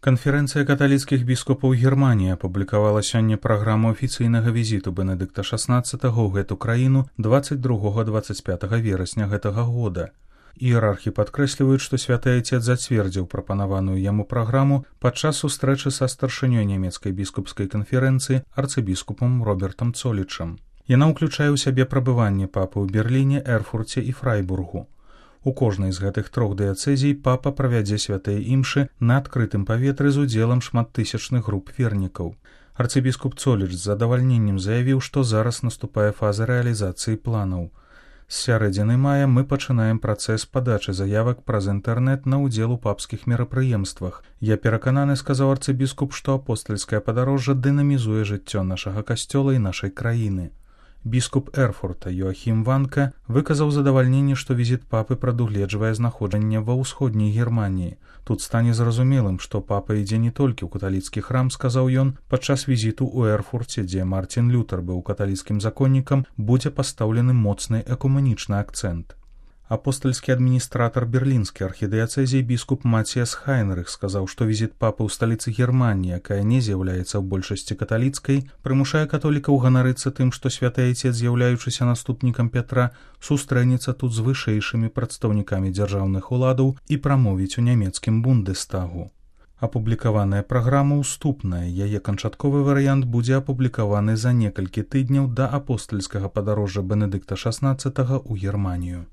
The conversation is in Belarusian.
Канферэнцыя каталіцкіх біскупаў Германіі апублікавала сёння праграму афіцыйнага візіту Бенедыкта XVI ў гэту краіну 22-25 верасня гэтага года. Іерархі падкрэсліваюць, што святы Айцец зацвердзіў прапанаваную яму праграму падчас сустрэчы са старшынёй нямецкай біскупскай канферэнцыі арцыбіскупам Робертам Цолічам. Яна ўключае ў сябе прабыванне папы ў Берліне, Эрфурце і Фрайбургу. У кожнай з гэтых трох дыяцэзій папа правядзе святыя імшы на адкрытым паветры з удзелам шматтысячных груп вернікаў. Арцыбіскуп Цоліч з задавальненнем заявіў, што зараз наступае фаза рэалізацыі планаў. З сярэдзіны мая мы пачынаем працэс падачы заявак праз інтэрнэт на ўдзел у папскіх мерапрыемствах. Я перакананы, сказаў арцыбіскуп, што апостальскае падарожжа дынамізуе жыццё нашага касцёла і нашай краіны. Біскуп Эрфурта Йоахім Ванка выказаў задавальненне, што візіт папы прадугледжвае знаходжанне ва ўсходняй Германіі. Тут стане зразумелым, што папа ідзе не толькі ў каталіцкі храм, сказаў ён, падчас візіту ў Эрфурце, дзе Мартін Лютер быў каталіцкім законнікам, будзе пастаўлены моцны экумэнічны акцэнт. Апостальскі адміністратар берлінскай архідыяцэзіі біскуп Маціяс Хайнрых сказаў, што візіт папы ў сталіцы Германіі, якая не з'яўляецца ў большасці каталіцкай, прымушае католікаў ганарыцца тым, што святы Айцец, з'яўляючыся наступнікам Пятра, сустрэнецца тут з вышэйшымі прадстаўнікамі дзяржаўных уладаў і прамовіць у нямецкім Бундестагу. Апублікаваная праграма ўступная, яе канчатковы варыянт будзе апублікаваны за некалькі тыдняў да апостальскага падарожжа Бенедыкта XVI ў Германію.